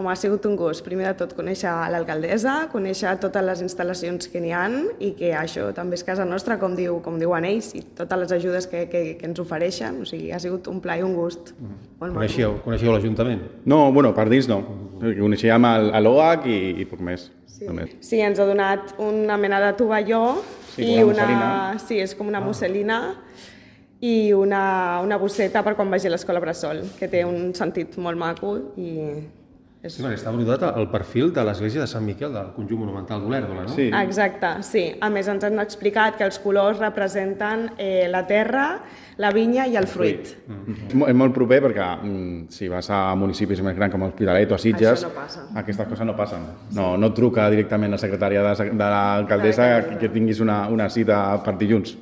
m'ha sigut un gust, primer de tot, conèixer l'alcaldessa, conèixer totes les instal·lacions que n'hi ha i que això també és casa nostra, com diuen ells, i totes les ajudes que ens ofereixen. O sigui, ha sigut un plaer i un gust. Coneixeu l'Ajuntament? No, bueno, per dins no. Coneixíem l'OAC i poc més. Sí, ens ha donat una mena de tovalló i una... Sí, és com una musselina i una bosseta per quan vagi a l'escola Bressol, que té un sentit molt maco i... Sí, perquè està brodat al perfil de l'església de Sant Miquel, del conjunt monumental d'Olèrdola, no? Sí. Exacte, sí. A més, ens han explicat que els colors representen la terra, la vinya i el fruit. És molt proper perquè si vas a municipis més grans com Hospitalet o a Sitges, això no passa. Aquestes coses no passen. No truca directament la secretària de l'alcaldessa que tinguis una cita per dilluns.